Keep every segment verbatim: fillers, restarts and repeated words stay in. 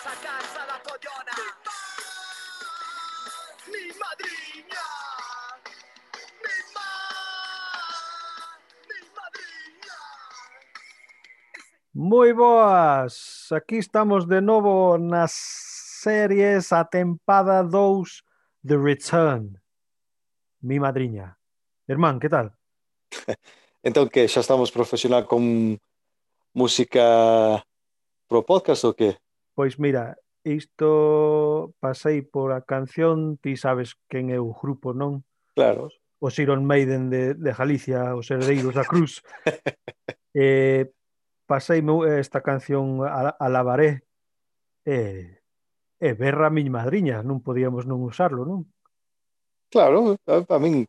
a casa da collona. Mi madriña, mi má, mi madriña. Moi boas, aquí estamos de novo nas series a tempada dous The Return. Mi madriña. Hermán, que tal? Entón que xa estamos profesional con música pro podcast ou que? Pois mira, isto pasei por a canción, ti sabes quen é o grupo, non? Claro. Os Iron Maiden de, de Galicia, os herdeiros da Cruz. eh, Paseime esta canción a, a Lavaré e, e berra a miña madriña, non podíamos non usarlo, non? Claro, a, a min,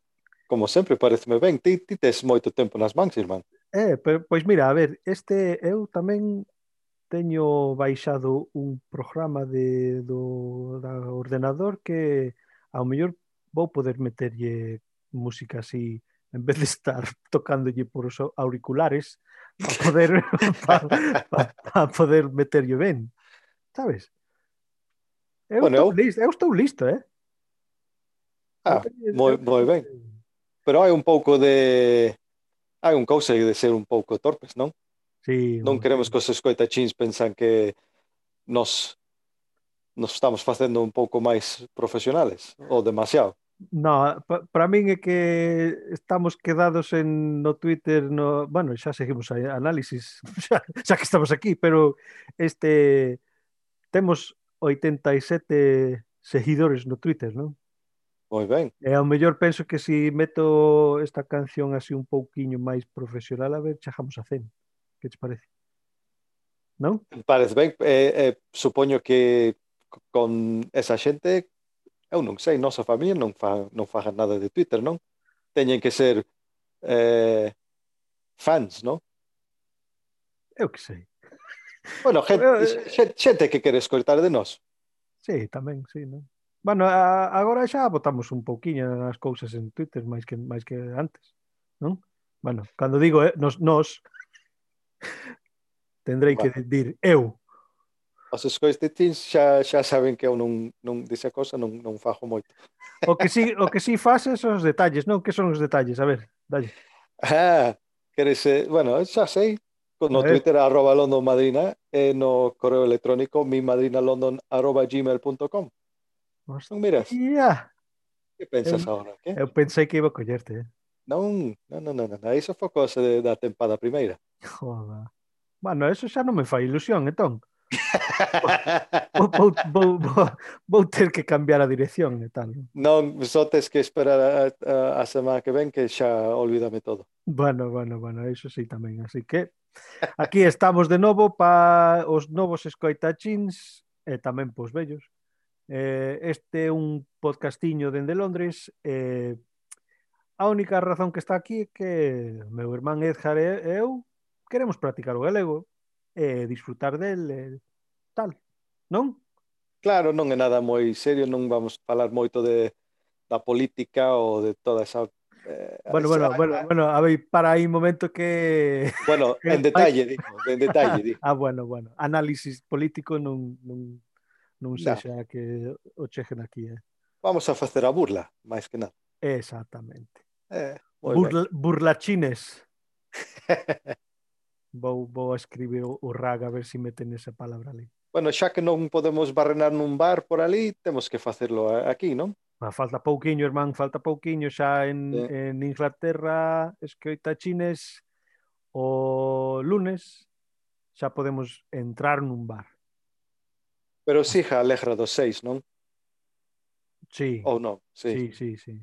como sempre, pareceme ben. Ti, ti tes moito tempo nas mans, irmán. Eh, pero, pois mira, a ver, este eu tamén teño baixado un programa de, do da ordenador que ao mellor vou poder meterlle música así en vez de estar tocándolle por os auriculares para poder pa, pa, pa poder meterlle ben, sabes? Eu Bueno, estou eu, listo, eu estou listo, eh? Eu ah, teño, moi, eu moi teño... ben. Pero hai un pouco de... Hai un cousa de ser un pouco torpes, non? Sí, Non un, queremos sí. que os escoitachins pensan que nos, nos estamos facendo un pouco máis profesionales, ou demasiado. No, pa, para min é que estamos quedados en no Twitter, no, bueno, xa seguimos a análisis, xa, xa que estamos aquí, pero este temos oitenta e sete seguidores no Twitter, non? Moi ben. E ao mellor penso que se si meto esta canción así un pouquiño máis profesional, a ver, chegamos a cen. Que te parece? Non? Parece ben. Eh, eh, supoño que con esa xente, eu non sei, nosa familia non fa, non fagan nada de Twitter, non? Teñen que ser eh, fans, non? Eu que sei. Bueno, gente, Eu, xente, xente que quere escoitar de nós. sí, tamén, sí, non? Bueno, a, agora xa botamos un pouquiño as cousas en Twitter máis que máis que antes, non? Bueno, cando digo eh, nos, nos tendrei que Bueno, dir eu. os escoitachins xa, xa saben que eu non, non desa cosa non, non fajo moito. O que si, o que si fases son os detalles, non? Que son os detalles? A ver, dalle. Ah, queres, eh, bueno, xa sei. A No ver. Twitter arroba London Madrina e no correo electrónico mimadrinalondon arroba gmail punto com. Non miras? Hostia. Que Eu, pensas agora? Que? eu pensei que iba a collerte, eh? Non, non, non, non, non. Iso foi cosa de, da tempada primeira. Joda. Bueno, eso xa non me fai ilusión, entón. Vou, vou, vou, vou, vou ter que cambiar a dirección e tal. Non, só tes que esperar a, a, a semana que ven que xa olvídame todo. Bueno, bueno, bueno, eso sí tamén. Así que aquí estamos de novo para os novos escoitachins e tamén pos vellos. Eh, este é un podcastiño dende Londres. Eh, a única razón que está aquí é que meu irmán Edgar e eu queremos practicar o galego e disfrutar del e tal, non? Claro, non é nada moi serio, non vamos falar moito de, da política ou de toda esa... Eh, Bueno, esa bueno, bueno, bueno, a ver, para aí un momento que... bueno, en detalle, digo, en detalle, digo. Ah, bueno, bueno, análisis político non, non, non No, sexa que o cheguen aquí, eh? vamos a facer a burla, máis que nada. Exactamente. Eh, moi ben. Burla, burlachines. Vou, vou a escribir o, o rag a ver se si meten esa palabra ali. Bueno, xa que non podemos barrenar nun bar por ali, temos que facelo aquí, non? Ah, falta pouquiño, irmán, falta pouquiño xa en, Eh, en Inglaterra, escoitachines, o lunes xa podemos entrar nun bar. pero siga alegra dos seis, non? Sí, Ou non, sí. sí, sí, sí.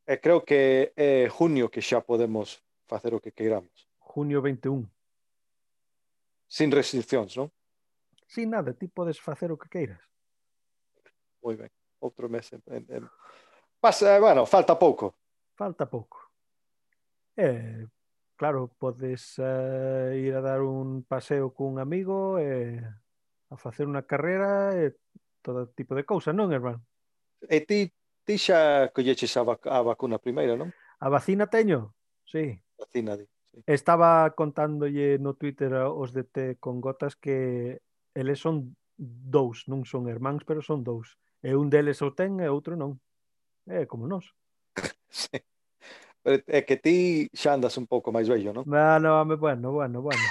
E creo que é junio que xa podemos facer o que queiramos. Junio vinte e un. Sin restriccións, non? Sin nada, ti podes facer o que queiras. Moi ben. Outro mes. En, en, en... Pasa, bueno, falta pouco. Falta pouco. Eh, claro, podes uh, ir a dar un paseo cun amigo e a facer unha carrera e todo tipo de cousas, non, hermano? E ti, ti xa colleches a, vac a vacuna primeira, non? A vacina teño, sí. Vacina, di. Sí. Estaba contándolle no Twitter aos de Té con Gotas que eles son dous, non son hermáns, pero son dous. E un deles o ten e outro non. É como nós. Sí. Pero é que ti xa andas un pouco máis vello, non? Ah, no, home, bueno, bueno, bueno.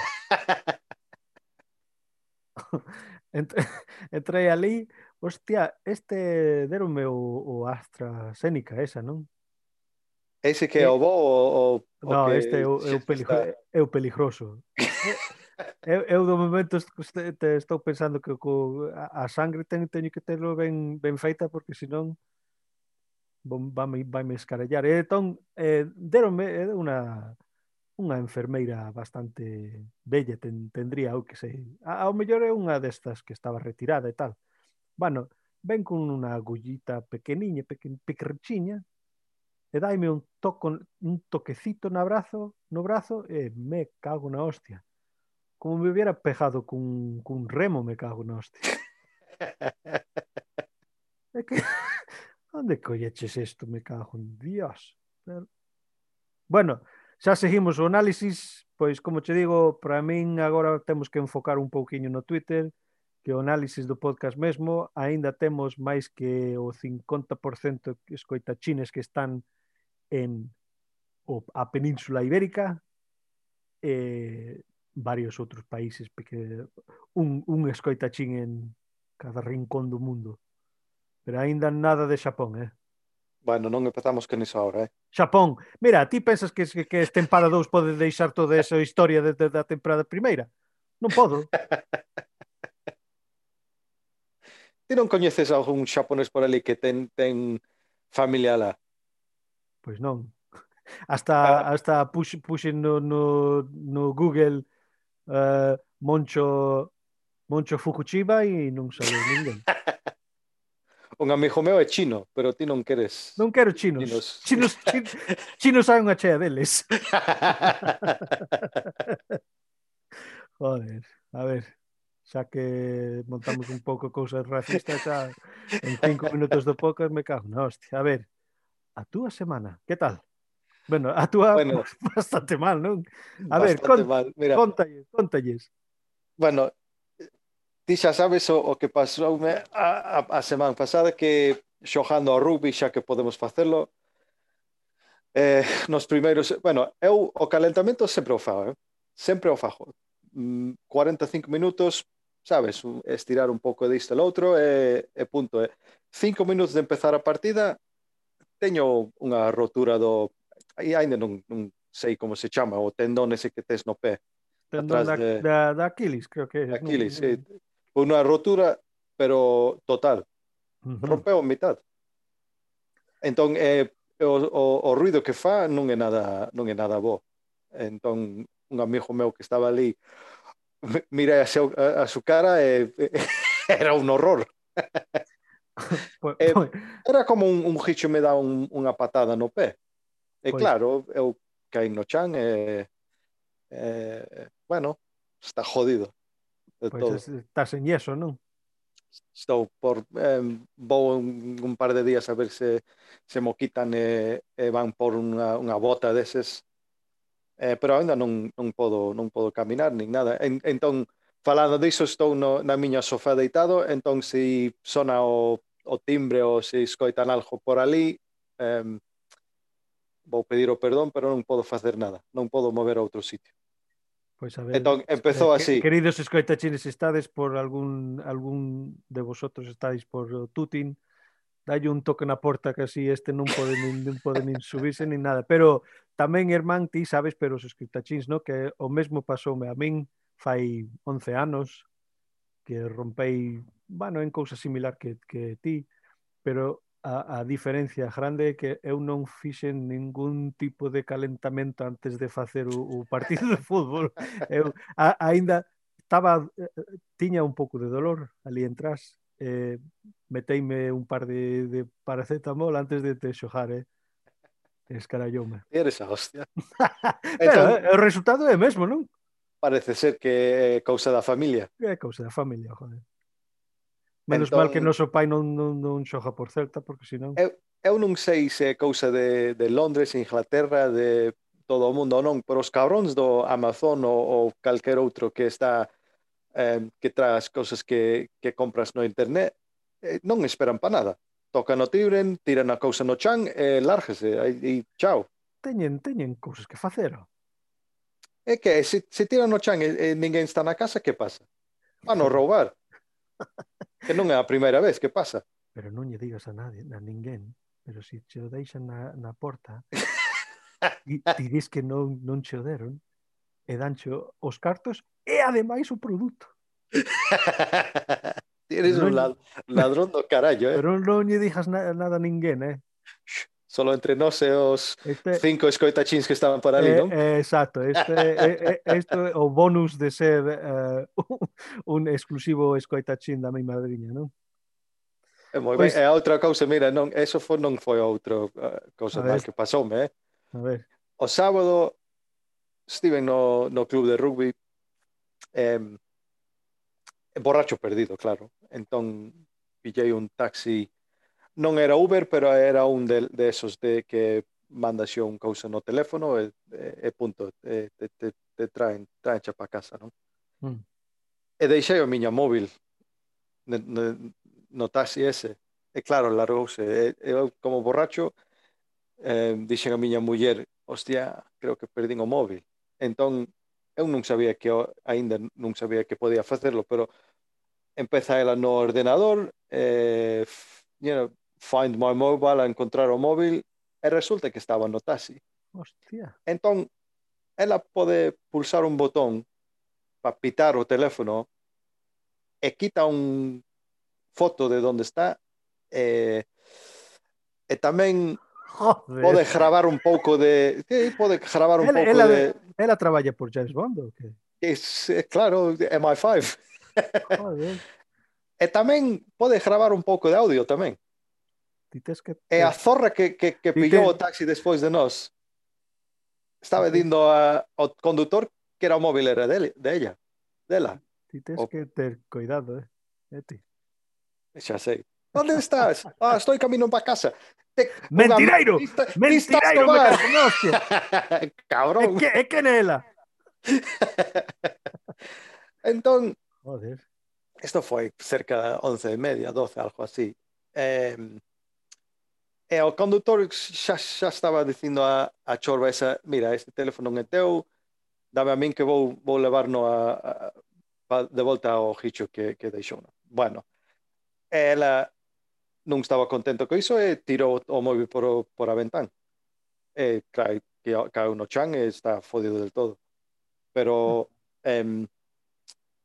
Ent- Entrei ali, hostia, este deronme o, o AstraZeneca, esa, non? Ese que é E, o bo o, o, o no, este é que o, é xa o, te peligro, está... é o peligroso. É- Eu, eu do momento est- este- te estou pensando que co, a, a sangre ten, teño que telo ben, ben feita porque senón vai, vai me escarallar. E entón, eh, deronme é unha unha enfermeira bastante bella, ten, tendría, eu que sei. A, ao mellor é unha destas que estaba retirada e tal. Bueno, ven con unha agullita pequeniña, pequen, pequerchiña, e daime un toco, un toquecito no brazo, no brazo, e me cago na hostia. Como me hubiera pegado cun, cun remo, me cago na hostia. É que, onde colleches isto, me cago en Dios. Pero, bueno, xa seguimos o análisis, pois como che digo, para min agora temos que enfocar un pouquiño no Twitter, que o análisis do podcast mesmo, aínda temos máis que o cincuenta por cento escoitachines que están en o, a Península Ibérica e varios outros países, porque un, un escoitachín en cada rincón do mundo. Pero aínda nada de Xapón, eh? Bueno, non empezamos con iso ahora, eh? Xapón, mira, ti pensas que, que, que este tempada dous pode deixar toda esa historia desde da temporada primeira? Non podo. Ti non coñeces algún xaponés por ali que ten, ten familia lá? Pois non. Hasta, Ah, hasta puxe, puxe no, no, no Google uh, Moncho, Moncho Fukushima e non sale ninguén. un amigo meu é chino, pero ti non queres Non quero chinos. chinos. Chinos, chinos, chinos hai unha chea deles. Joder, a ver, xa que montamos un pouco cousas racistas, xa en cinco minutos do podcast me cago na hostia. A ver, a túa semana, que tal? Bueno, a túa Bueno, bastante mal, non? A ver, bastante con, mal. Mira, contalles, contalles. bueno, ti xa sabes o, o que pasou a, a, a semana pasada que xogando ao rugby, xa que podemos facelo, eh, nos primeiros, bueno, eu o calentamento sempre o fago, eh? Sempre o fago. Mm, cuarenta e cinco minutos, sabes, un- estirar un pouco disto e outro e, e punto. Eh. Cinco minutos de empezar a partida, teño unha rotura do, aí ainda non, non sei como se chama, o tendón ese que tes no pé, Tendón atrás da, de da, da Aquiles, creo que é. Non, Aquiles, non. sí. Unha rotura, pero total. Uh-huh. Rompeu a mitad. Entón, eh, o, o, o ruido que fa non é nada, non é nada bo. Entón, un amigo meu que estaba ali, mirei a, seu, a, a su cara e era un horror. Pois, E, pois, era como un, un gicho me dá un, unha patada no pé. E pois, claro, eu caí no chan e, e bueno, está jodido de pois todo. estás en yeso, non? Estou por eh, vou un, un par de días a ver se se mo quitan e, e van por unha, unha bota deses, eh, pero ainda non, non podo non podo caminar nin nada. En, entón, falando diso, estou no, na miña sofá deitado, entón se sona o, o timbre ou se escoitan algo por ali, eh, vou pedir o perdón, pero non podo facer nada, non podo mover a outro sitio. Pois a ver, Entón, eh, empezou que, así. queridos escoitachines, estades por algún algún de vosotros estáis por o Tutin, dalle un toque na porta que así este non pode nin, non pode nin subirse nin nada. Pero tamén, irmán, ti sabes, pero os escoitachins, no? Que o mesmo pasoume a min fai once anos, que rompei, bueno, en cousa similar que, que ti, pero a, a diferencia grande é que eu non fixen ningún tipo de calentamento antes de facer o, o partido de fútbol. Eu a, aínda estaba, eh, tiña un pouco de dolor ali entras, eh, meteime un par de, de paracetamol antes de te xojar, eh? Escaralloume. Eres a hostia. Pero Entón, eh, o resultado é o mesmo, non? parece ser que é cousa da familia. É cousa da familia, joder. Menos mal que Entón, noso pai non, non, non xoga por Celta, porque senón... eu, eu non sei se é cousa de, de Londres, Inglaterra, de todo o mundo ou non, pero os cabróns do Amazon ou, ou calquer outro que está eh, que traes cousas que, que compras no internet, eh, non esperan para nada. Tocan o timbre, tiran a cousa no chan e lárgese, e, e chao. Teñen, teñen cousas que facer. É que se, se tiran no chan e, e ninguén está na casa, que pasa? Van a Pero, roubar, que non é a primeira vez que pasa. pero non lle digas a nadie, a ninguén, pero se che o deixan na, na porta, e ti dis que non, non che o deron, e dancho os cartos e ademais o produto. Pero Tienes non, un lad- ladrón do carallo, eh? pero non lle digas na, nada a ninguén, eh? Solo entre nós e os Este, cinco escoitachins que estaban por ali, eh, non? eh, exacto, este, eh, eh, este é o bonus de ser eh, un exclusivo escoitachín da mi madriña, non? É moi ben. Pois, E a outra cousa, mira, non, eso foi, non foi outro uh, a cousa mal ver, que pasoume, eh? a ver, O sábado estive no, no club de rugby, eh, borracho perdido, claro. Entón pillei un taxi, non era Uber, pero era un de, de esos de que mandas yo un cousa no teléfono e, e, e punto, e, te, te, te traen, traen xa para casa, non? mm, E deixei o miña móvil no, no, no taxi ese. E claro, largouse. E, eu, como borracho, eh, dixen a miña muller, hostia, creo que perdín o móvil. Entón, eu non sabía que, aínda non sabía que podía facerlo, pero empeza ela no ordenador, eh, you know, find my mobile, a encontrar o móvil, e resulta que estaba no taxi. hostia, Entón, ela pode pulsar un botón para pitar o teléfono e quita un foto de onde está, e, e tamén joder. pode gravar un pouco de, sí, pode gravar un Ela, pouco ela, de, ela traballa por James Bond ou que? es, é claro, M I cinco. Joder, E tamén pode gravar un pouco de audio tamén. ti tes que E a ter, zorra que, que, que ti pillou te, o taxi despois de nós ti estaba te, dindo a, ao condutor que era o móvil era dele, de ella, dela. ti tes O, que ter cuidado, eh? Eh, ti. xa sei. Onde estás? Ah, estou camino para casa. Te, unha Mentireiro! lista, lista Mentireiro, me Escobar. cago en hostia! É Cabrón. que, é que nela! Entón, Joder, isto foi cerca de once e media, doce, algo así. Eh, e o condutor xa, xa estaba dicindo a, a chorba esa, mira, este teléfono non é teu, dame a min que vou, vou levarno a, a, a, de volta ao Hicho que, que deixou. Bueno, ela non estaba contento co iso e tirou o móvil por, o, por a ventán. E claro, que caeu no chan e está fodido del todo. Pero, eh,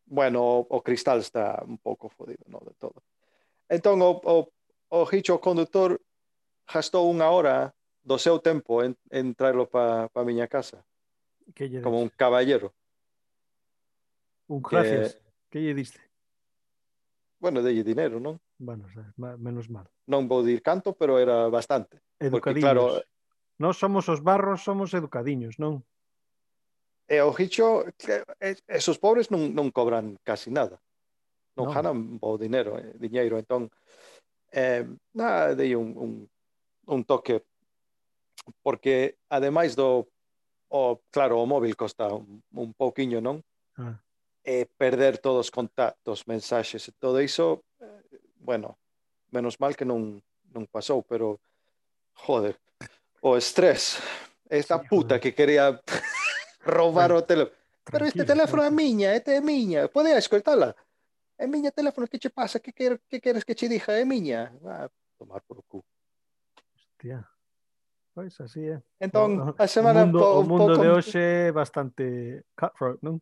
bueno, o, o cristal está un pouco fodido, no del todo. Entón, o, o, o Hicho condutor gastou unha hora do seu tempo en, en traerlo para pa a miña casa, que lle como des? un caballero. Un Que, gracias. Que lle diste? bueno, delle dinero, non? Bueno, o sea, ma- menos mal. Non vou dir canto, pero era bastante. Porque, claro, Educadiños. Nós somos os barros, somos educadiños, non? e o Hicho, que, esos pobres non, non cobran casi nada. Non Non. ganan bo dinero, eh, diñeiro. Entón, eh, nada, dei un, un, un toque, porque ademais do, o, claro, o móvil costa un, un pouquiño, non? Ah. E perder todos os contactos, mensaxes e todo iso, eh, bueno, menos mal que non, non pasou, pero, joder, o estrés, Sí, esta puta joder. que quería roubar Tran o teléfono. Pero este tranquilo, teléfono é tranquilo. miña, este é miña, pode escoitala. É miña teléfono, que che pasa? Que, quer, que queres que che dixa? É miña. Ah, tomar por o cu. Hostia. Pois así é. Entón, O, a o semana mundo po, o un mundo pouco, de hoxe é bastante cutthroat, non?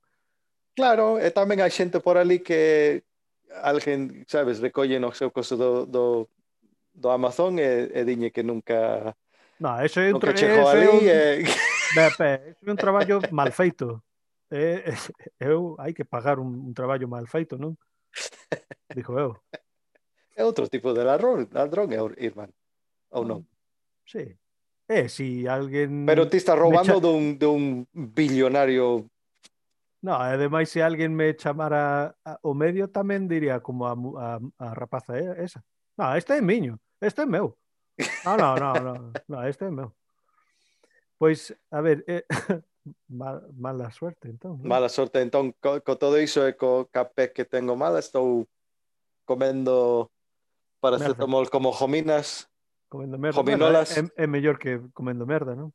claro, e tamén hai xente por ali que alguén, sabes, recolle no seu coso do, do, do Amazon e, e diñe que nunca No, ese é un nunca tra- chegou ese é ali un e... Be, pe, ese é un traballo mal feito. É, eu hai que pagar un, un traballo mal feito, non? Dixo eu. é outro tipo de ladrón, ladrón é o irmán, ou non? Ah, sí. E si Pero alguén ti estás me cha... roubando dun, dun billonario. No, ademais se alguén me chamara a, o medio tamén diría como a, mu- a, a rapaza é esa. No, este é miño, este é meu. No, no, no, no, no, este é meu. Pois, a ver, eh, mal, mala suerte, entón, non? Mala sorte, entón, co, co todo iso e co capé que tengo mala, estou comendo Merda, paracetamol como jominas, comendo merda. Bueno, é, é, jominolas, é mellor que comendo merda, non?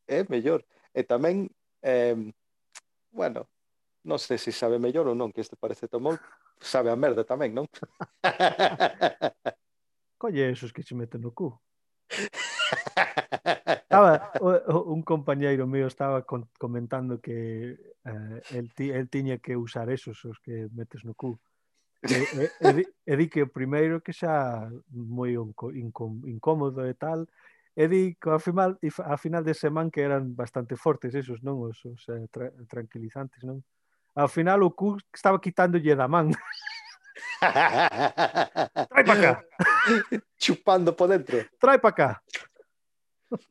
é mellor. E tamén, eh, bueno, non sei se sabe mellor ou non, que este paracetamol sabe a merda tamén, non? Colle esos que se meten no cu. Estaba, o, o, un compañeiro mío estaba con, comentando que eh, el, ti, el tiña que usar esos, os que metes no cu. E, e, e, di, e di que o primeiro que xa moi incómodo e tal, e di que ao final, a final de semana que eran bastante fortes esos, non? Os, os eh, tra, tranquilizantes, non? Ao final o cu estaba quitándolle da man. Trai para cá, Chupando por dentro. trai para cá.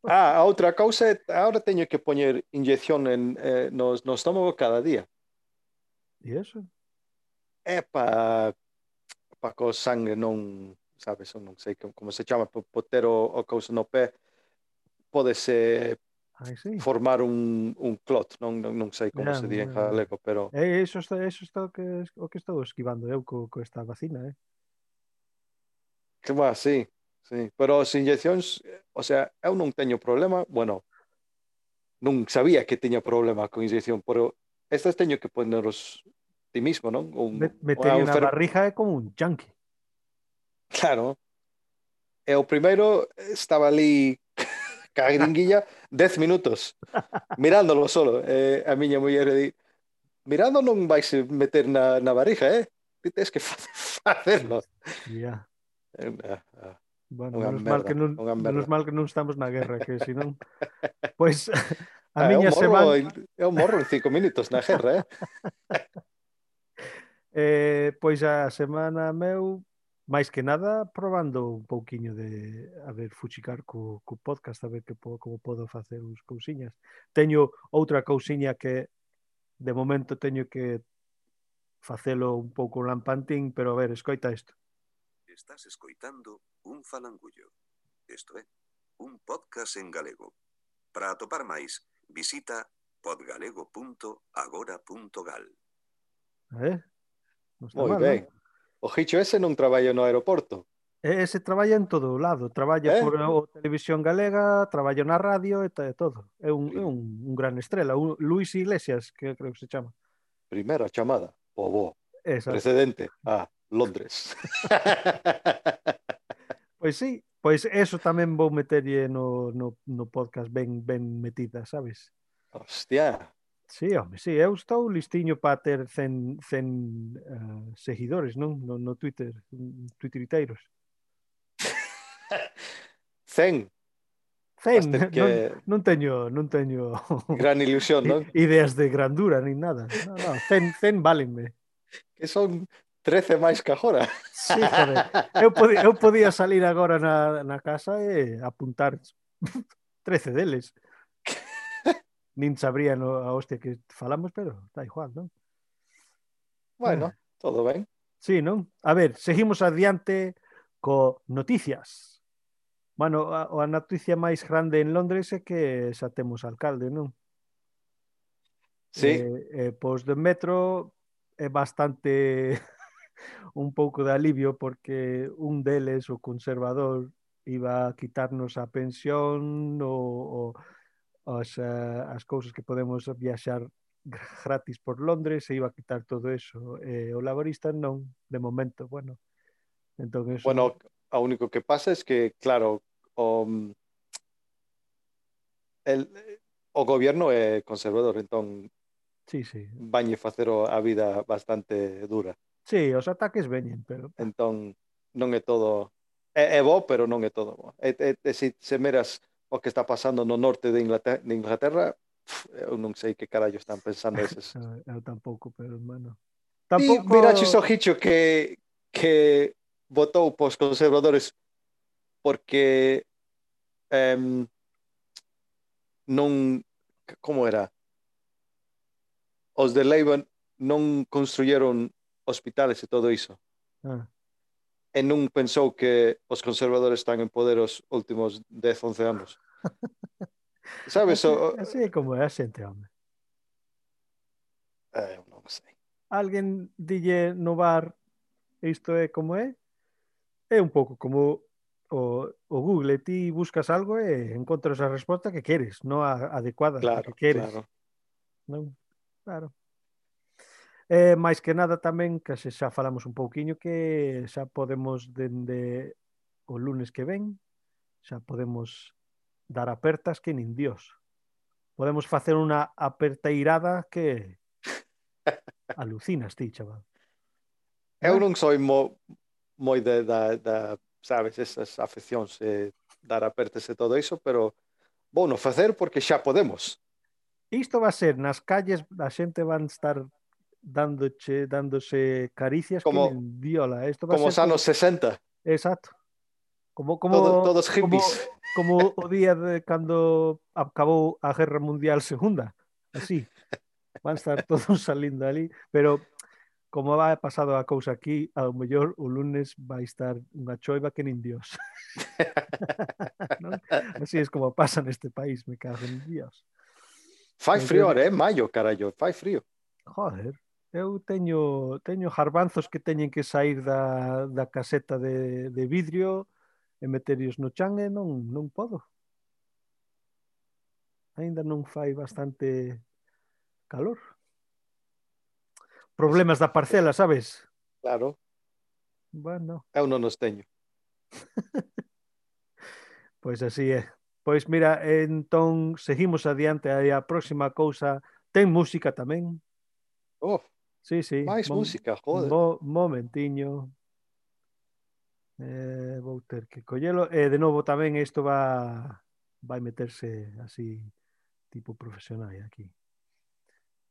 Ah, a outra cousa é, agora teño que poñer inyección en, eh, no, no estómago cada día. E eso? É para pa co sangue non, sabes, eu non sei como, como se chama, por, por ter o, o cousa no pé, podese Ai, sí. formar un, un clot, non, non, non sei como Yeah, se di en yeah. galego, pero... E iso está, eso está o que, o que estou esquivando eu co, co esta vacina, eh? Que va, sí, sí. Pero as inyeccións, o sea, eu non teño problema, bueno, non sabía que teña problema con inyección, pero estas teño que poneros ti mismo, non? Un, unha Metería na enfer... barriga é como un junkie. Claro. E o primeiro estaba ali ca gringuilla dez minutos, mirándolo solo. E a miña muller di, mirando non vais meter na, na barriga, eh? Ti tens que facerlo. Yeah. É unha, Bueno, unha menos mal merda, que non, unha menos merda. mal que non estamos na guerra, que senón, pois a Ah, eu miña morro, semana, eu morro en cinco minutos na guerra, eh? eh, pois a semana meu, máis que nada, probando un pouquiño de, a ver, fuchicar co, co podcast, a ver que po, como podo facer uns cousiñas. Teño outra cousiña que de momento teño que facelo un pouco lampantín, pero a ver, escoita isto. Estás escoitando un falangullo. Isto é, un podcast en galego. Para atopar máis, visita podgalego punto agora punto gal. Eh? Non está Moi mal, ben. non? O Gicho ese non traballa no aeroporto, E ese traballa en todo o lado, traballa eh? por o Televisión Galega, traballa na radio e, e todo. É un, é Prim- un, un gran estrela, un Luis Iglesias, que creo que se chama. Primeira chamada, o bo. Exacto. Precedente, ah, Londres. Pois sí, pois eso tamén vou meterlle no, no, no podcast ben, ben metida, sabes? Hostia. Sí, home, sí, eu estou listiño para ter cen, cen uh, seguidores, non? No, no Twitter, twitteriteiros. Cen. cen, Vas ter non, que... non teño, non teño Gran ilusión, non? ideas de grandura nin nada. No, no, cen, cen válenme. Que son trece máis que agora. Sí, joder. Eu podía, eu podía salir agora na, na casa e apuntar trece deles. Nin sabría no, a hostia que falamos, pero está igual, non? Bueno, Ah, todo ben. sí, non? A ver, seguimos adiante co noticias. Bueno, a, a noticia máis grande en Londres é que xa temos alcalde, non? Sí, Eh, eh, pois de metro é bastante un pouco de alivio porque un deles, o conservador, iba a quitarnos a pensión o, o as, uh, as cousas que podemos viaxar gratis por Londres, se iba a quitar todo eso. E o laborista non, de momento, bueno. Entón eso, bueno, o único que pasa es que, claro, o, el, o gobierno é conservador, entón sí, sí. vanlle facer a vida bastante dura. Sí, os ataques veñen, pero Entón, non é todo... É, é bo, pero non é todo bo. E, e, e se, se meras o que está pasando no norte de Inglaterra, de Inglaterra pf, eu non sei que carallo están pensando eses. eu, eu tampouco, pero bueno. Ti miraches Tampouco o Gicho que, que votou pos conservadores porque em, non... Como era? Os de Labour non construyeron hospitales e todo iso. ah, E non pensou que os conservadores están en poder os últimos dez, once anos. Sabes, Así, o, así é como é a xente, home. eh, non sei. Alguén dille no bar isto é como é, é un pouco como o, o Google, ti buscas algo e encontras a resposta que queres, non a adecuada a que Claro, queres, claro. non? Claro. E máis que nada tamén, que xa xa falamos un pouquiño, que xa podemos dende o lunes que ven, xa podemos dar apertas que nin Dios. Podemos facer unha aperteirada que alucinas ti, chaval. Eu Eh? non soy mo, moi de, da, da, sabes, esas afeccións eh, dar apertes e todo iso, pero vou no facer porque xa podemos. Isto va a ser nas calles, a xente van estar dándoche, dándose caricias que Como, nin diola. Isto va a como ser os como, anos sesenta, exacto, como todo, como todos hippies. como como o día de cando acabou a Guerra Mundial Segunda. Así, van estar todos salindo ali, pero como vai pasado a cousa aquí, ao mellor o lunes vai estar unha choiva que nin Dios. Non? Así es como pasa neste país, me cago en Dios. Fai Pois frío, eu, ahora, é maio, carallo, fai frío. joder, eu teño teño garbanzos que teñen que sair da, da caseta de, de vidrio e meterios no chan e non, non podo. Ainda non fai bastante calor. Pois, Problemas da parcela, sabes? claro, Bueno, eu non os teño. pois así é. Pois mira, entón seguimos adiante aí a próxima cousa. Ten música tamén. Oh, Sí, sí. máis Mom, música, joder. mo, momentiño. Eh, vou ter que collelo. E de novo tamén isto va vai meterse así tipo profesional aquí.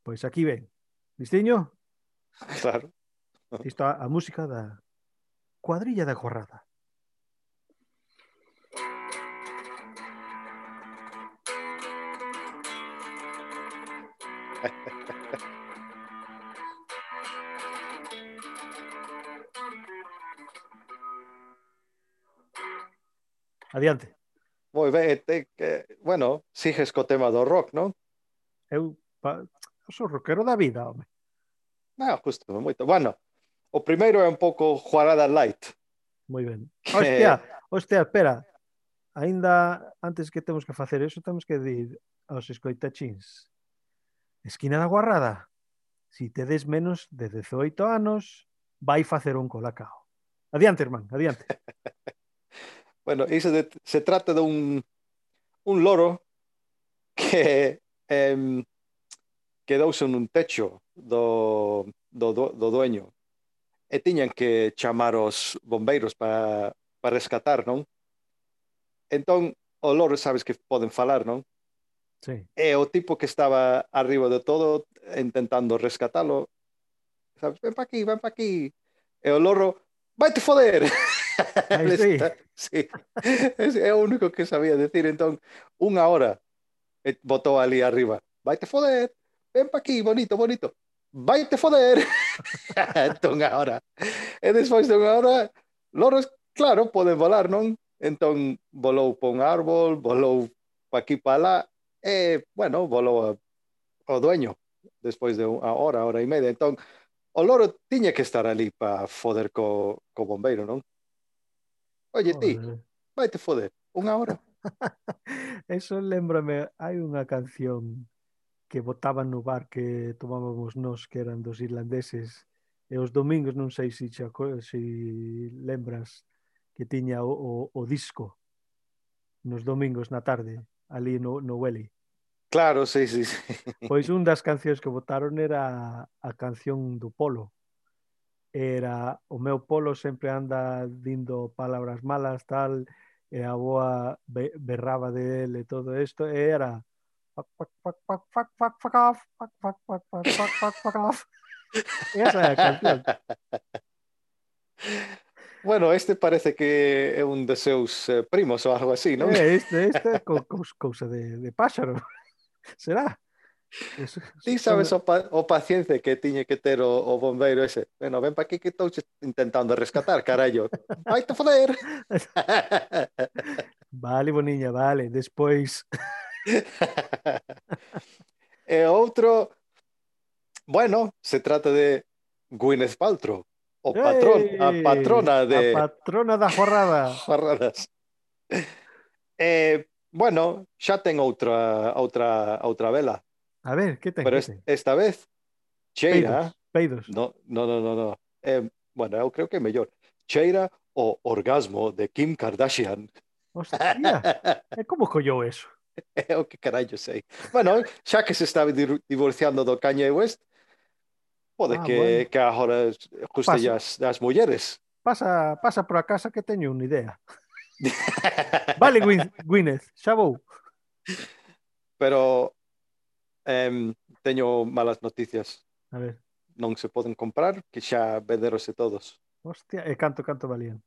Pois aquí ven. Listiño? Claro. Isto a, a música da cuadrilla da Corrada. Adiante. Moi ben, te, que, bueno, sigues co tema do rock, non? Eu, pa, eu sou rockero da vida, home. Ah, justo, moito. Bueno, o primeiro é un pouco Juarada Light. Moi ben. Que, Hostia, hostia, espera. Aínda antes que temos que facer eso, temos que dir aos escoitachins. Esquina da Guarrada. Si tedes menos de dezoito anos, vai facer un colacao. Adiante, irmán, adiante. bueno, iso de, se trata de un, un loro que em, quedouse nun techo do, do, do, do dueño e tiñan que chamar os bombeiros para pa rescatar, non? Entón, o loro sabes que poden falar, non? Sí. E o tipo que estaba arriba de todo intentando rescatalo, sabes, ven pa aquí, ven pa aquí. E o loro, vai te foder. Aí sí. Está, sí. É o único que sabía decir. Entón, unha hora botou ali arriba, vai te foder, ven pa aquí, bonito, bonito, vai te foder. Entón, agora. E despois de unha hora, loros, claro, poden volar, non? Entón, volou pa un árbol, volou pa aquí pa lá, e, bueno, volou ao dueño despois de unha hora, hora e media. Entón, o loro tiña que estar ali para foder co, co bombeiro, non? Oye, ti, Joder. vai te foder, unha hora. Eso lembrame, hai unha canción que botaban no bar que tomábamos nós, que eran dos irlandeses, e os domingos non sei se se, se lembras que tiña o, o, o disco nos domingos na tarde, ali no, no Welly. Claro, sí, sí, sí. Pois un das cancións que botaron era a canción do polo. Era o meu polo sempre anda dindo palabras malas, tal, e a boa berraba de él e todo isto, e era fuck, fuck, fuck, fuck, fuck, fuck, fuck off, fuck, fuck, fuck, fuck, fuck, fuck, fuck off. Esa é a canción. Bueno, este parece que é un de seus eh, primos ou algo así, non? É, este, este é co, co, cousa de, de páxaro. Será? Eso, Ti son... sabes o, pa, o paciencia que tiñe que ter o, o bombeiro ese. Bueno, ven pa aquí que estou intentando rescatar, carallo. Vai te foder. Vale, boniña, vale. Despois E outro, bueno, se trata de Gwyneth Paltrow, o patrón, a ¡Ey! patrona A de patrona da jorrada. Jarradas. Eh, bueno, xa ten outra outra outra vela, A ver, que ten, pero que es- ten? esta vez cheira, Peidos, peidos. no, no, no, no, no. Eh, bueno, eu creo que é mellor. Cheira o orgasmo de Kim Kardashian. Hostia, e como collou eso? É o que carallo sei. Bueno, xa que se está dir- divorciando do Kanye West, pode Ah, bueno. que, que agora guste Pasa, as, as mulleres. pasa, pasa por a casa que teño unha idea. Vale, Gwyn- Gwyneth, xa vou. Pero em, teño malas noticias. A ver, Non se poden comprar, que xa venderose todos. hostia, e canto, canto valían?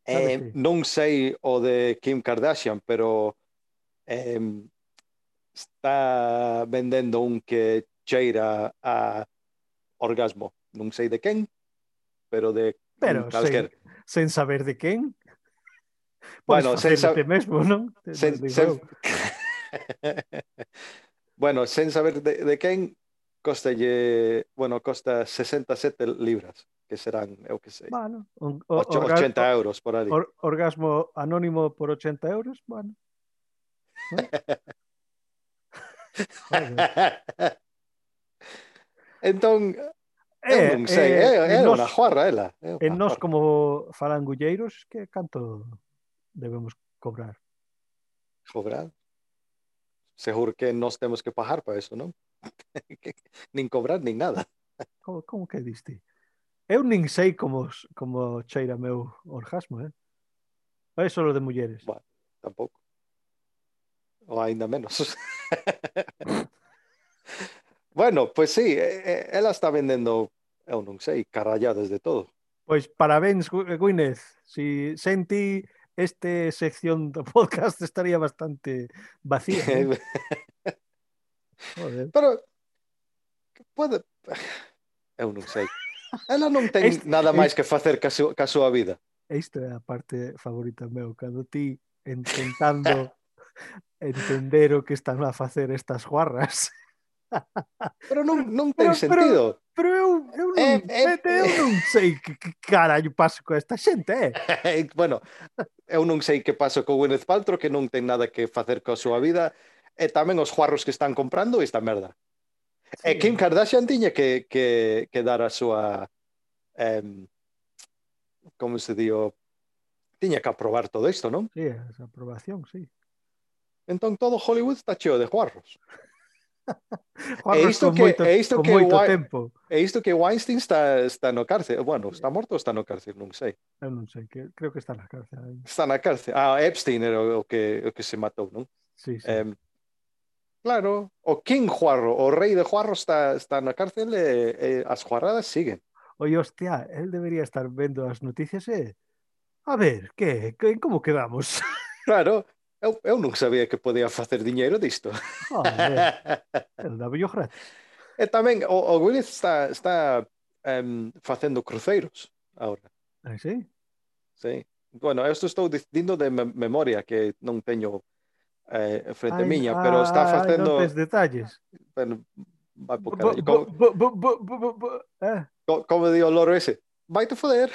Sabes Eh, ti? non sei o de Kim Kardashian, pero em, está vendendo un que cheira a orgasmo. Non sei de quen, pero de un Pero sen, calquer. sen saber de quen, podes Bueno, sen, facelo sa- te mesmo, non? Te- non sen, digo sen... eu. bueno, sen saber de, de quen, costalle, bueno, costa sesenta e sete libras, que serán, eu que sei, Bueno, un, o- ocho- orga- ochenta euros por ali. or- orgasmo anónimo por ochenta euros, bueno. ¿No? Joder. Entón, eu Eh, non sei, eh, é, en é nos, unha juarra ela, é en unha nos juarra. como falangulleiros, que canto debemos cobrar? Cobrar. Seguro que nós temos que pagar para eso, non? nin cobrar, nin nada. Como, como que diste? Eu nin sei como, s- como cheira meu orgasmo, eh? É solo de mulleres. Bueno, tampouco. Ou ainda menos. bueno, pues sí, eh, eh, ela está vendendo, eu non sei, carralladas de todo. Pois parabéns, Gu- Gwyneth. Si senti este sección do podcast estaría bastante vacía, eh? Joder. Pero pode... Eu non sei. Ela non ten Este, nada máis este, que facer ca, su, ca súa vida. esta é a parte favorita meu, cando ti intentando entender o que están a facer estas guarras. Pero non, non ten Pero, pero, sentido. pero eu, eu, non, É, é, eu non sei que, que carallo paso con esta xente, eh? é, bueno, eu non sei que pasa co Gwyneth Paltrow, que non ten nada que facer coa súa vida, e tamén os juarros que están comprando esta merda. Sí, E Kim Kardashian tiña que, que, que dar a súa em, como se dio, tiña que aprobar todo isto, non? sí, esa aprobación, sí. Entón todo Hollywood está cheo de juarros. E Guarros isto con que moito, e isto con que moito Wei- tempo. e isto que Weinstein está está no cárcel. Bueno, está morto ou está no cárcel, non sei. Eu non sei, que, creo que está na cárcel aí. Está na cárcel. Ah, Epstein era o que o que se matou, non? Sí, sí. Em, claro, o King Juarro, o rei de Juarro está está na cárcel e, e as juarradas siguen. Oye, hostia, él debería estar vendo as noticias e... A ver, que, que como quedamos? Claro, eu, eu non sabía que podía facer diñeiro disto. Joder, el daba yo gratis. E tamén o, o Gwyneth está está em, facendo cruceiros agora. Ah, sí? Sí. Bueno, isto estou dicindo de me memoria que non teño eh, frente Ai, miña, pero está ai, non tes facendo detalles. bueno, vai po Bu- carallo. bu- Como, bu- bu- bu- bu- bu- bu- eh, co- como di o loro ese, vai te foder.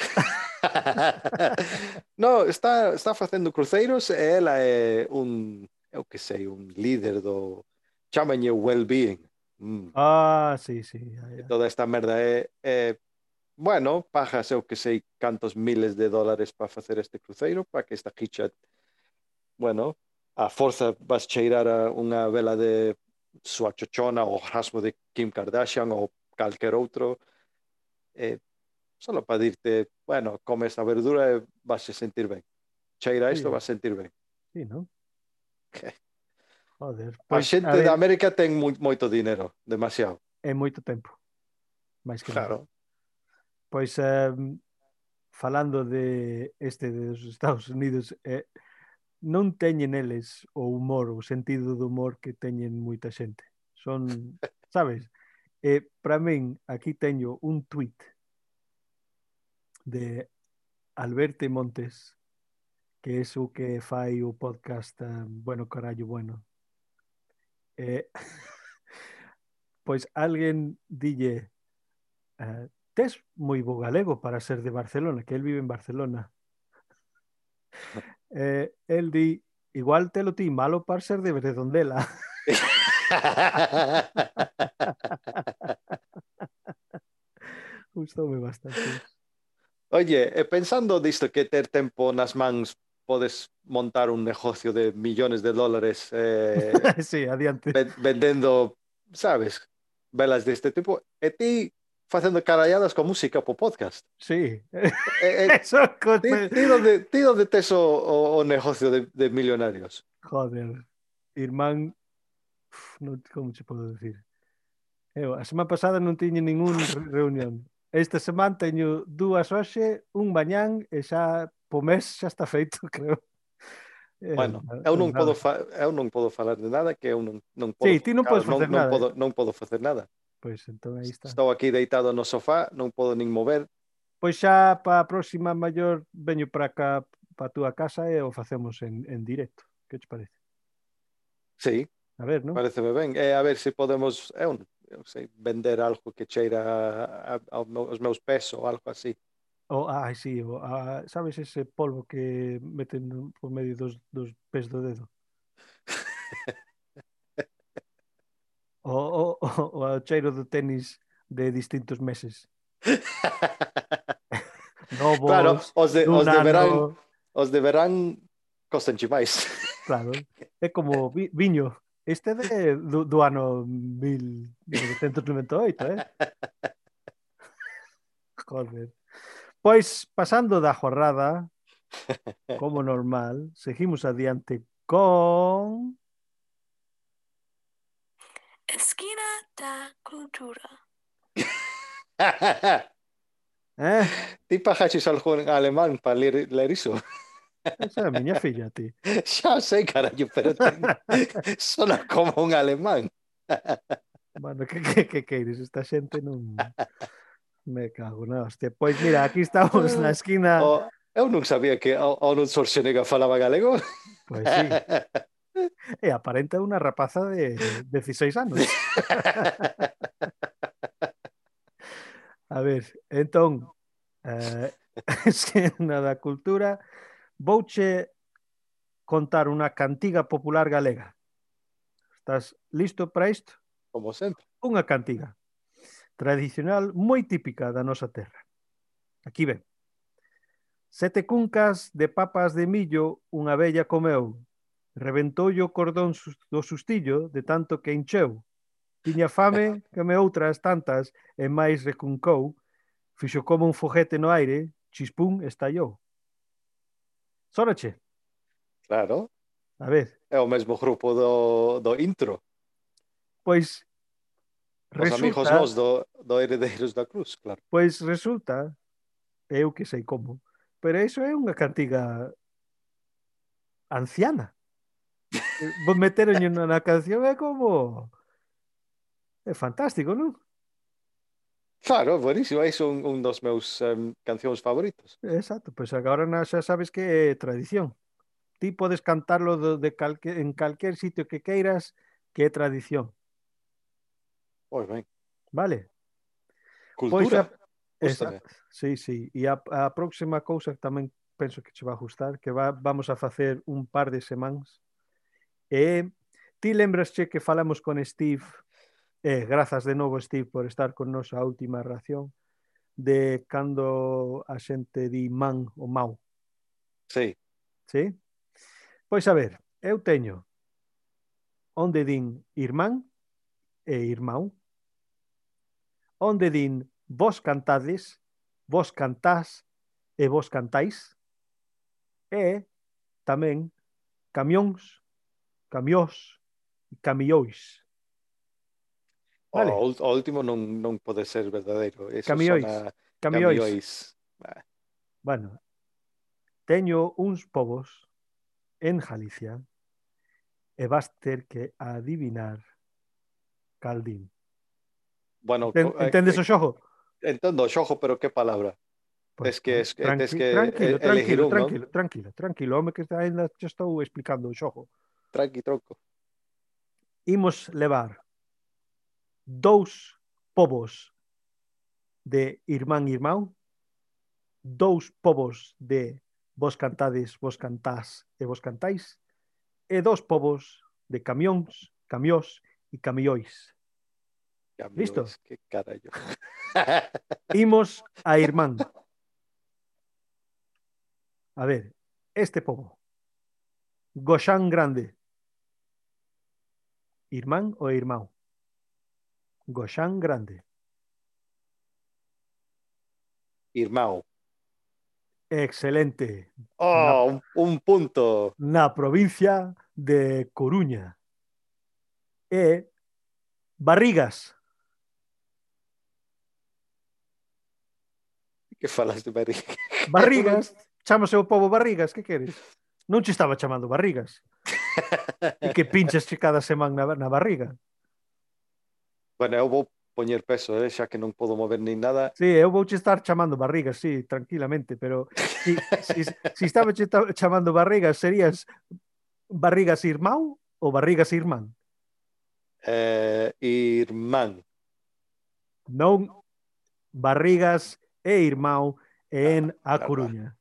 no, está está facendo cruceiros e ela é un, eu que sei, un líder do chámanlle well-being. Mm. Ah, sí, sí. ya, E ya. toda esta merda é, é bueno, pagas eu que sei cantos miles de dólares para facer este cruceiro, para que esta hicha, bueno, a forza vas cheirar a unha vela de súa chochona ou rasmo de Kim Kardashian ou calquer outro, eh, solo para dirte, bueno, come esta verdura e vas a sentir ben. Cheira Sí, isto, vas a sentir ben. sí, non? Joder, A pois, a xente ver, de América ten moi, moito dinero, demasiado. é moito tempo. Mais que nada. Claro. Pois, eh, falando de este dos Estados Unidos, eh, non teñen eles o humor, o sentido do humor que teñen moita xente. Son, sabes? E para min, aquí teño un tuit de Alberto Montes, que é o que fai o podcast um, Bueno Carallo Bueno. Eh, pois alguén dille eh, tes moi bo galego para ser de Barcelona, que el vive en Barcelona. Eh, el di, igual te lo ti malo para ser de Redondela. Gustoume bastante. Oye, e pensando disto que ter tempo nas mans podes montar un negocio de millones de dólares eh, Sí, adiante. ven- vendendo, sabes, velas deste tipo, e ti facendo caralladas con música po podcast. Sí. E, e, Eso, ti, cosme- ti, donde, ti donde tes o, o, o negocio de, de millonarios? joder, irmán, uf, non, como che podo decir? Eu, a semana pasada non tiña ningún re- reunión. Esta semana teño dúas hoxe, un mañán e xa po mes xa está feito, creo. Eh, Bueno, na- eu non non nada. podo fa, eu non podo falar de nada que eu non, non podo, Sí, ti non claro, podes non, facer non nada. podo, eh. non podo facer nada. Pois entón aí está. Estou aquí deitado no sofá, non podo nin mover. Pois xa para a próxima maior veño para cá para a túa casa e o facemos en, en directo. Que te parece? Sí, A ver, non? pareceme ben. E a ver se podemos, eu, eu sei, vender algo que cheira a, a, aos meus pés ou algo así. O, ai, sí, o, a, sabes ese polvo que meten no- por medio dos, dos pés do dedo? O, o, o, o cheiro do tenis de distintos meses. Claro, Novos, os de, dun os de verán, ano, os de verán costanche máis. claro. É como vi, viño. Este é de, do, do ano mil novecentos noventa e oito, eh? Joder. Pois, pasando da jornada, como normal, seguimos adiante con... Esquina da cultura. Eh? Ti pajaches algo en alemán para ler, ler iso? Esa é a miña filla, ti. Xa sei, carallo, pero ten... sona como un alemán. Bueno, que, que, que queires? Esta xente non... Me cago na hostia. Pois mira, aquí estamos na esquina... Oh, eu non sabía que Arnold Schwarzenegger falaba galego. Pois sí. E aparenta unha rapaza de dieciséis anos. A ver, entón, eh, esquina da cultura, vouche contar unha cantiga popular galega. Estás listo para isto? Como sempre. Unha cantiga tradicional moi típica da nosa terra. Aquí ven. Sete cuncas de papas de millo unha vella comeu. Reventoulle o cordón do sustillo de tanto que encheu. Tiña fame, come outras tantas e máis recuncou. Fixo como un foguete no aire, chispún, estallou. Sónache? Claro. A ver. É o mesmo grupo do, do intro. Pois Os resulta, amigos nós do, do Heredeiros da Cruz, claro. Pois resulta, eu que sei como, pero iso é unha cantiga anciana. Vos meteronlle na canción é como... É fantástico, non? Claro, buenísimo. É un, un dos meus um, cancións favoritos. Exacto, pois agora na, xa sabes que é tradición. Ti podes cantarlo de, de calque, en calquer sitio que queiras, que é tradición. Moi ben. Vale? Cultura. Pois a... Gústame. Sí, sí. E a, a próxima cousa que tamén penso que che va a gustar, que va, vamos a facer un par de semanas, e ti lembrasche que falamos con Steve, e grazas de novo, Steve, por estar con nos a última ración, de cando a xente di man ou mau. Sí. Sí? Pois a ver, eu teño onde din irmán e irmão, onde din vos cantades, vos cantás e vos cantáis, e tamén camións, camiós e camióis. Vale? O, o último non, non pode ser verdadeiro. Eso Camióis. sona... Camióis. Camióis. Ah. Bueno, teño uns povos en Galicia e vas ter que adivinar cal din. Bueno, Enten, entendes o xogo? Entendo o xogo, pero que palabra? Pues, Tes que, es, tranqui, tes que tranquilo, elegir tranquilo, un, tranquilo, non? tranquilo, tranquilo, home que ainda te estou explicando o xogo. Tranqui, tronco. Imos levar dous povos de irmán irmán, dous povos de vos cantades, vos cantás e vos cantáis, e dous povos de camións, camiós e camióis. Listo? Camiones, qué carallo. Imos a irmán. A ver, este pobo. Goxán grande. Irmán ou irmão? Goxán grande. Irmão. Excelente. Oh, un, un punto. Na provincia de Coruña. E Barrigas. Que falas de barriga? Barrigas. Chámase o pobo Barrigas, que queres? Non che estaba chamando Barrigas. E que pinches che cada semana na, na barriga. Bueno, eu vou poñer peso, eh, xa que non podo mover nin nada. Sí, eu vou che estar chamando Barrigas, sí, tranquilamente, pero si, si, si estaba che ta- chamando Barrigas, serías Barrigas irmão ou Barrigas irmán? Eh, irmán. Non, Barrigas e irmão en A Ah, Coruña.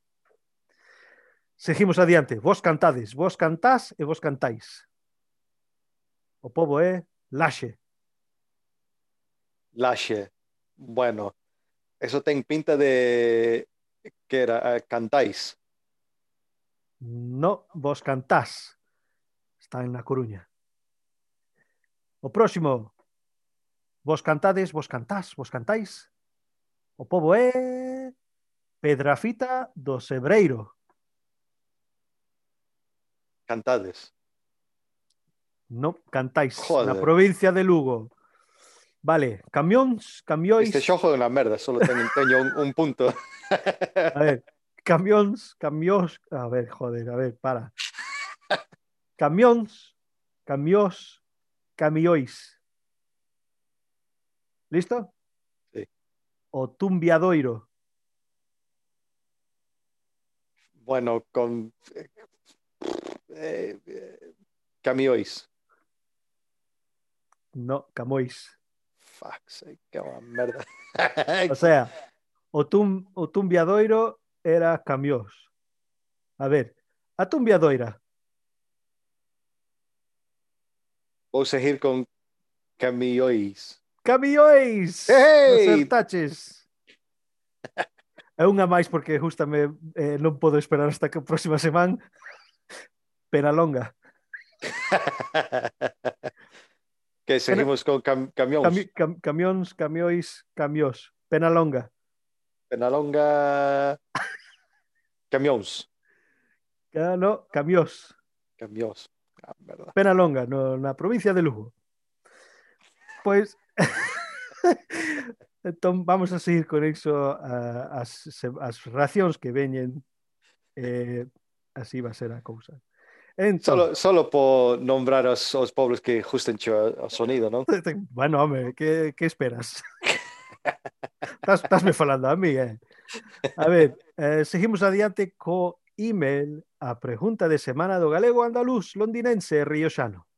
Seguimos adiante. Vos cantades, vos cantás e vos cantáis. O pobo é Laxe. Laxe. Bueno, eso ten pinta de que era eh, cantáis. No, vos cantás. Está en La Coruña. O próximo. Vos cantades, vos cantás, vos cantáis. O pobo é Pedrafita do Sebreiro. Cantades. No, cantáis. Joder. Na provincia de Lugo. Vale, camións, camióis. Este xogo é unha merda, solo teño, teño un, un punto. A ver, camións, camións. A ver, joder, a ver, para. Camións, camiós, camióis. ¿Listo? Sí. O tumbiadoiro. Bueno, con eh, eh, camióis. No, Camões. Fuck, sei que é unha merda. O sea, o, tum, o tumbiadoiro era camiós. A ver, a tumbiadoira. Vou seguir con camióis. Camióis! Hey! Acertaches. É unha máis porque justame eh, non podo esperar hasta que a próxima semana. Pena longa. Que seguimos con cam camións. Cami cam camións, camióis, camiós. Pena longa. Penalonga. Camións. Ah, no, camiós. Camións. Ah, verdad. Pena longa, no, na provincia de Lugo. Pois... entón vamos a seguir con iso uh, as, as racións que veñen eh, así va a ser a cousa. Solo, Entón, solo por nombrar os, os pobres que justen o sonido, non? bueno, home, que, que esperas? Estás, estásme falando a mí, eh? A ver, eh, seguimos adiante co email a pregunta de semana do galego andaluz londinense rioxano.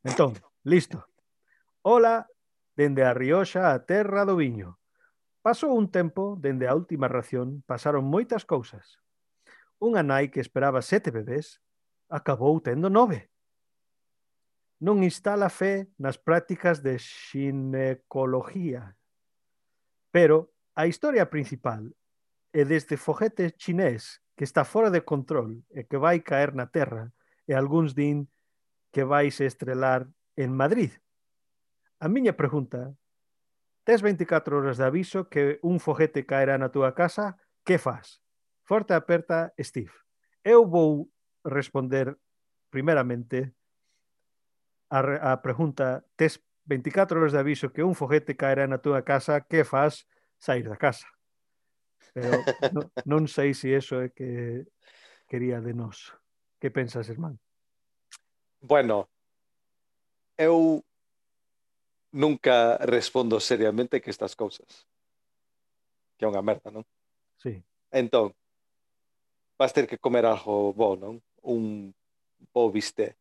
Entón, listo. Hola, dende a Rioxa a terra do viño. Pasou un tempo, dende a última ración, pasaron moitas cousas. Unha nai que esperaba sete bebés acabou tendo nove. Non instala fe nas prácticas de xinecología. Pero a historia principal é deste foguete chinés que está fora de control e que vai caer na terra e algúns din que vai se estrelar en Madrid. A miña pregunta: tes veinticuatro horas de aviso que un foguete caerá na túa casa, que faz? Forte aperta, Steve. Eu vou responder primeramente a, a pregunta: tes veinticuatro horas de aviso que un foguete caerá na túa casa, que faz? Sair da casa. Pero no, non sei se iso é que quería de nós. Que pensas, irmán? Bueno, eu nunca respondo seriamente que estas cousas. Que é unha merda, non? Sí. Entón, vas ter que comer algo bo, non? Un bo bisté.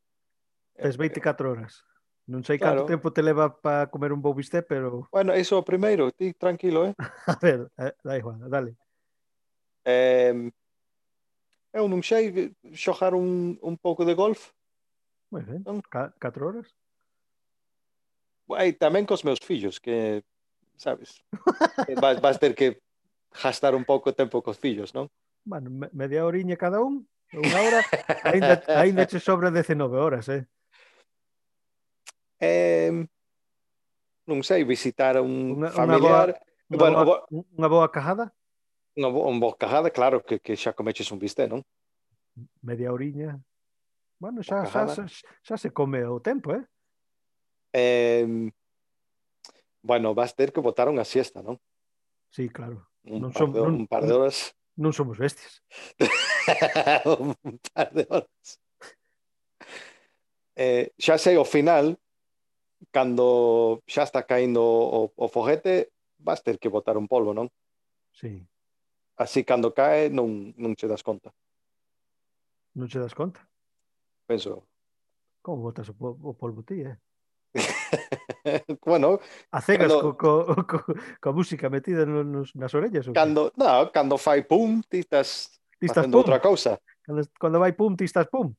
Tes veinticuatro horas. Non sei canto Claro. tempo te leva para comer un bo bistec, pero Bueno, iso o primeiro, ti tranquilo, eh? a ver, eh, da igual, dale. Eh, eu non sei xogar un, un pouco de golf, Moi ben, non? Ca- catro horas. E tamén cos meus fillos, que, sabes, vas, vas ter que gastar un pouco de tempo cos fillos, non? Bueno, me- media horiña cada un, unha hora, aínda, aínda che sobra dezenove horas, eh? Eh, non sei, visitar a un Unha, unha boa, familiar. unha Bueno, boa, bo- unha boa cajada, unha bo- un bocajada, claro que, que xa comeches un bistec, non? media horiña. Bueno, xa, xa, Bocajada. xa, xa se come o tempo, eh? Eh, bueno, vas ter que botar unha siesta, non? Sí, claro. Un Non, par som, de, non, un par de horas. non somos bestias. Un par de horas. Eh, xa sei, ao final, cando xa está caindo o, o foguete, vas ter que botar un polvo, non? Sí, Así cando cae non, non che das conta. non che das conta. Penso. Como botas o, po- o polvo ti, eh? Bueno, A cegas co, cando, co, co, coa música metida no, nos, nas orellas ou que? cando, no, cando fai pum, ti estás Ti estás facendo pum. outra cousa. Cando, cando vai pum, ti estás pum.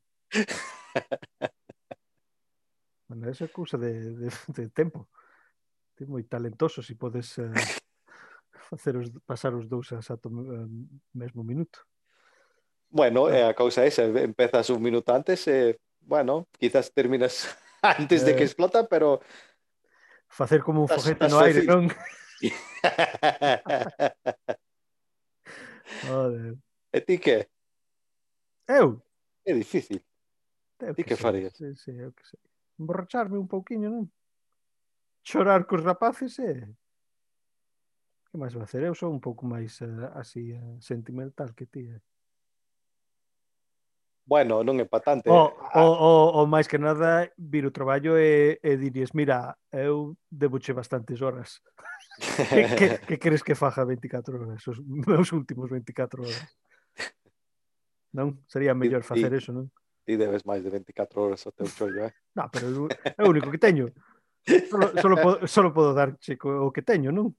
Bueno, esa é cousa de, de, de tempo. Ti moi talentoso se podes eh, facer os, pasar os dous a exato eh, mesmo minuto. Bueno, Ah, eh, a cousa esa, empezas un minuto antes, eh, bueno, quizás terminas antes de que eh, explota, pero facer como un estás, foguete estás no aire, feliz. non? Joder. E ti que? Eu? É difícil. Eu Ti que que sei, farías? sí, sí, eu que sei. Emborracharme un pouquiño, non? Chorar cos rapaces e... Que máis vai hacer? Eu sou un pouco máis eh, así eh, sentimental que ti. Eh. Bueno, non é pa tanto. O, o, Ah, o, o máis que nada vir o traballo e, e dirías, mira, eu deboche bastantes horas. que, que, que queres que faja veinticuatro horas? Os meus últimos veinticuatro horas. Non? Sería ti, mellor ti, facer eso, non? ti debes máis de veinticuatro horas ao teu chollo, eh? Non, pero é o único que teño. Solo, solo, podo, solo podo darche o que teño, non?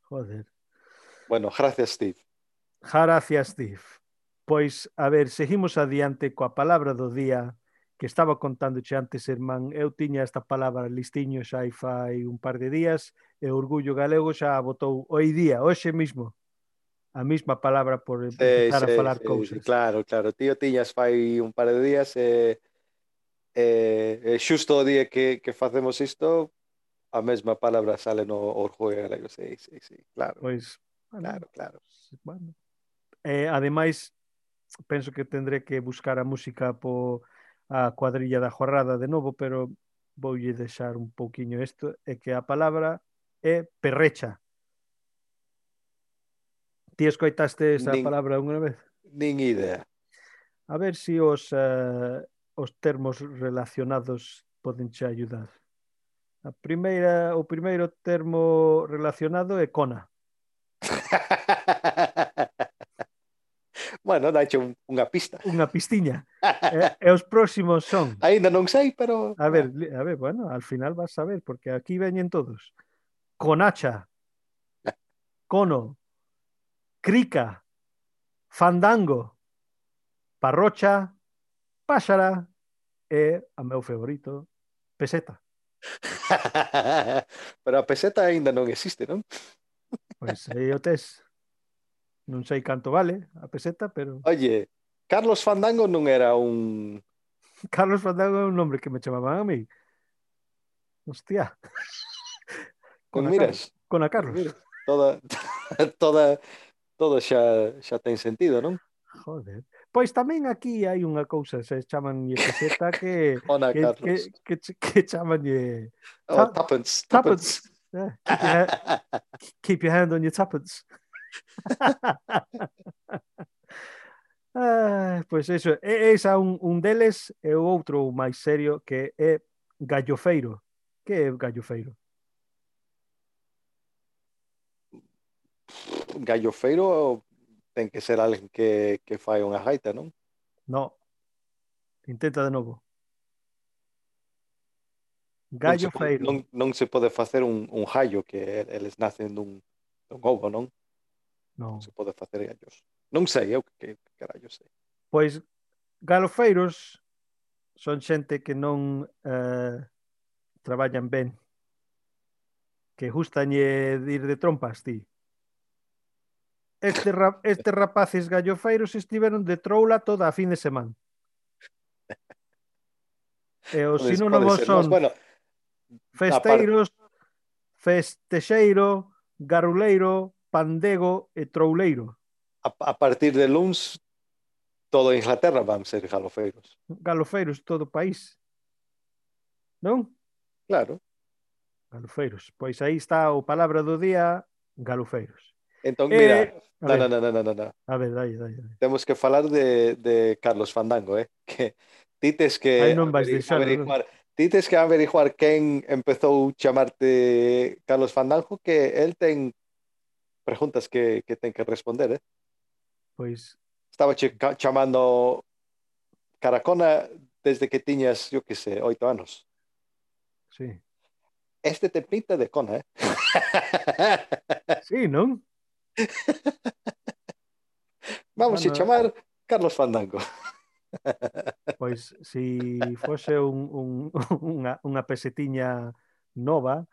Joder. Bueno, gracias, Steve. Gracias, Steve. Pois, a ver, seguimos adiante coa palabra do día que estaba contándoche antes, irmán. Eu tiña esta palabra listiño xa hai fai un par de días e o Orgullo Galego xa botou hoy día, hoxe mismo, a mesma palabra por Sí, empezar a sí, falar sí, sí, cousas. claro, claro. Tío tiñas fai un par de días e eh, eh, xusto o día que, que facemos isto, a mesma palabra sale no Orgullo Galego. Sí, sí, sí, claro, Pois, bueno, claro, claro. bueno. Eh, ademais, penso que tendré que buscar a música po a cuadrilla da jornada de novo, pero voulle deixar un pouquiño isto, é que a palabra é perrecha. Ti escoitaste esa Nin, palabra unha vez? nin idea. A ver se si os, uh, os termos relacionados poden che ayudar. A primeira, o primeiro termo relacionado é cona. Bueno, dache un, unha pista. Unha pistiña. E, e os próximos son... Ainda non sei, pero... A ver, a ver, bueno, al final vas a ver, porque aquí veñen todos. Conacha, cono, crica, fandango, parrocha, páxara e, a meu favorito, peseta. Pero a peseta aínda non existe, non? Pois aí o tes. Non sei canto vale a peseta, pero Oye, Carlos Fandango non era un... Carlos Fandango é un nombre que me chamaban a mí. Hostia. Non Con a Carlos. miras? Con a Non Carlos. miras? Toda, toda, todo xa, xa ten sentido, non? Joder. Pois tamén aquí hai unha cousa, se chamanlle peseta que Ona, que, que, Carlos. que, que chamanlle Oh, ta, tuppence, tuppence. tuppence. Eh, keep, your hand, keep your hand on your tuppence. Ah, pois eso, é esa un, un deles e o outro máis serio que é gallofeiro. Que é gallofeiro? Gallofeiro ten que ser alguén que, que fai unha gaita, non? No. Intenta de novo. Non se, Gallo po- feiro. non, non se pode facer un, un gallo que eles nacen dun, dun ovo, non? Non Non. se pode facer gallos. Non sei, eu que, que carallo sei. Pois galofeiros son xente que non eh, traballan ben, que gustañe de ir de trompas, ti. Este ra estes rapaces gallofeiros estiveron de troula toda a fin de semana. E os Pode, pode sinónimos ser, son mas, bueno, aparte, festeiros, festexeiro, garuleiro, pandego e trouleiro. a, a partir de luns, toda Inglaterra van ser galofeiros. Galofeiros todo o país. Non? Claro. Galofeiros. Pois aí está o palabra do día, galofeiros. Entón, E, mira, a no, ver, no, no, no, no, no. a ver, dai, dai, dai. Temos que falar de, de Carlos Fandango, eh? Que ti tes Aí que non vais averi- deixar, non? averiguar, ti tes que averiguar quen empezou chamarte Carlos Fandango, que el ten preguntas que, que ten que responder, eh? Pois, Estaba che ca- chamando Caracona desde que tiñas, yo que sé, oito anos. sí. Este te pinta de cona, eh? Sí, non? Vamos a Bueno, chamar Carlos Fandango. pois, si fose un, un, unha, unha pesetiña nova,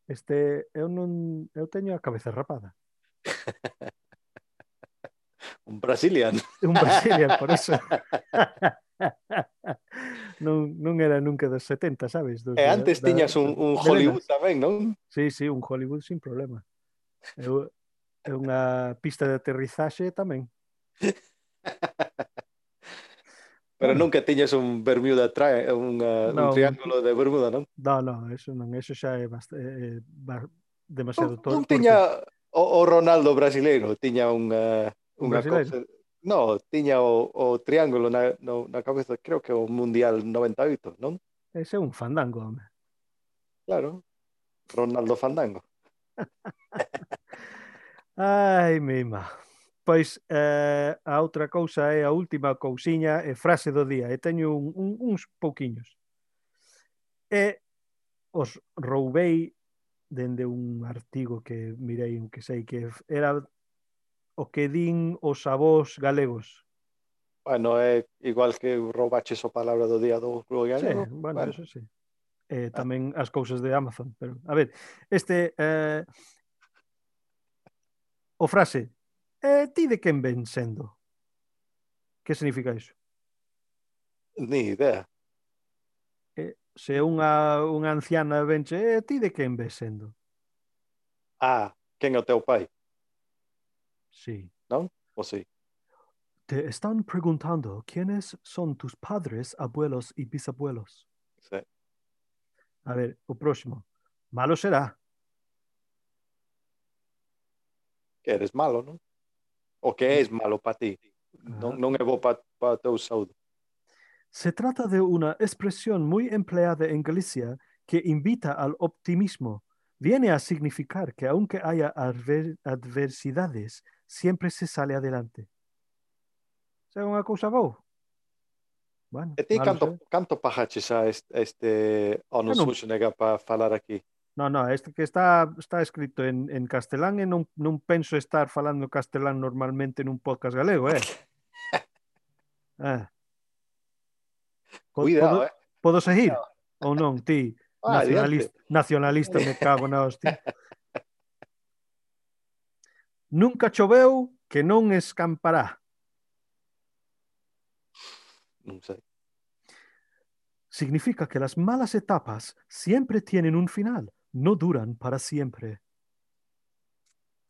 este, eu non, eu teño a cabeza rapada. Un Brazilian. Un Brazilian, por eso. non, non era nunca dos setenta, sabes? Dos E de, antes da, tiñas un, un de Hollywood nenas. tamén, non? Sí, sí, un Hollywood sin problema. Eu, é unha pista de aterrizaxe tamén. Pero Bueno, nunca tiñas un Bermuda tri un, uh, un non, triángulo de Bermuda, non? non, non, eso non, eso xa é bast, eh, ba, demasiado Non, tor non torpe. tiña o, o Ronaldo brasileiro, tiña un, uh, Un unha brasileiro? cousa. No, tiña o, o triángulo na, no, na cabeza, creo que o Mundial noventa e oito, non? Ese é un fandango, home. Claro, Ronaldo Fandango. Ai, mima. Pois eh, a outra cousa é a última cousiña e frase do día. E teño un, un, uns pouquiños. E os roubei dende un artigo que mirei, un que sei que era o que din os avós galegos. Bueno, é igual que roubaches o palabra do día do Club Sí, Galego. bueno, Bueno, eso sí. Eh, tamén as cousas de Amazon. Pero, a ver, este... Eh, o frase, eh, ti de quen ven sendo? Que significa iso? ni idea. Eh, se unha, unha anciana venche, eh, ti de quen ves sendo? Ah, quen é o teu pai, Sí. non? O sí. Te están preguntando quiénes son tus padres, abuelos y bisabuelos. Sí. A ver, o próximo. Malo será. Que eres malo, non? O que és malo para ti. Non, Ajá. non é bo para pa teu saúde. Se trata de una expresión muy empleada en Galicia que invita al optimismo. Viene a significar que aunque haya adver- adversidades, siempre se sale adelante. É unha cousa boa. Bueno, E ti malo canto, será. canto pajaches a este, este Ono Eu non- Schwarzenegger para falar aquí? No, no, este que está, está escrito en, en castelán e non, non penso estar falando castelán normalmente nun podcast galego, eh? Ah. Po- Cuidado, Podo, eh? podo seguir? Ou non, ti? Ah, adiante. Nacionalista, nacionalista me cago na hostia. Nunca choveu que non escampará. Non sei. Significa que las malas etapas siempre tienen un final, no duran para siempre.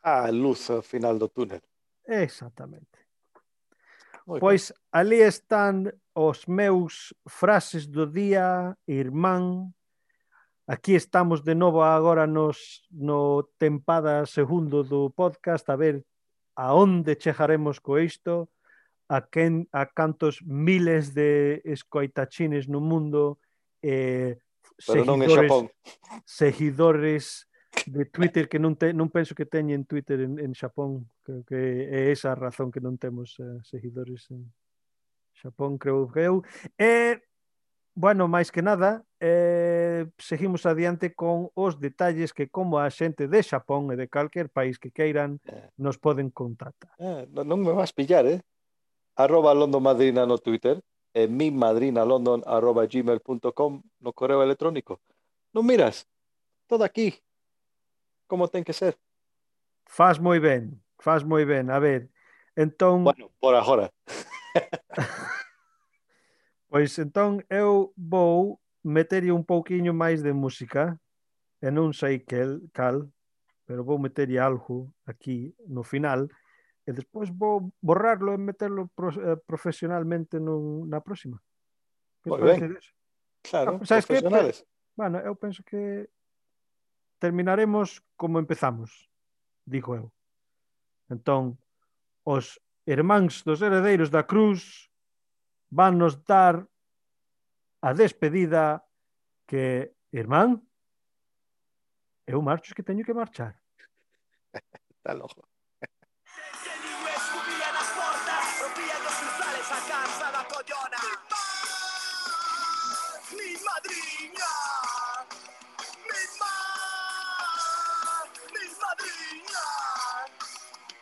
Ah, luz ao final do túnel. Exactamente. Moi ben. Pois ali están os meus frases do día, irmán. Aquí estamos de novo agora nos, no tempada segundo do podcast a ver a onde chegaremos co isto, a, quen, a cantos miles de escoitachines no mundo, eh, Pero non en seguidores, Xapón. seguidores de Twitter que non, te, non penso que teñen Twitter en, en Xapón. Creo que é esa a razón que non temos uh, seguidores en Xapón, creo que eu. E bueno, máis que nada, eh, seguimos adiante con os detalles que como a xente de Xapón e de calquer país que queiran Eh, nos poden contactar. eh, non, non me vas pillar, eh? Arroba London Madrina no Twitter e mi madrina london arroba gmail punto com no correo electrónico. Non miras, todo aquí, como ten que ser. Faz moi ben, faz moi ben. A ver, entón, Bueno, por agora. pois entón eu vou meterlle un pouquiño máis de música, e non sei que cal, pero vou meterlle algo aquí no final, e despois vou borrarlo e meterlo pro, eh, profesionalmente nun, na próxima. Que Moi parece ben, disso? Ah, claro, sabes que? Pe- profesionales. Bueno, eu penso que terminaremos como empezamos, digo eu. Entón, os irmáns dos heredeiros da cruz van nos dar a despedida que, irmán, eu marcho que teño que marchar. Está loco. Que niño escupía nas portas, rompían os cruzales a casa da collona.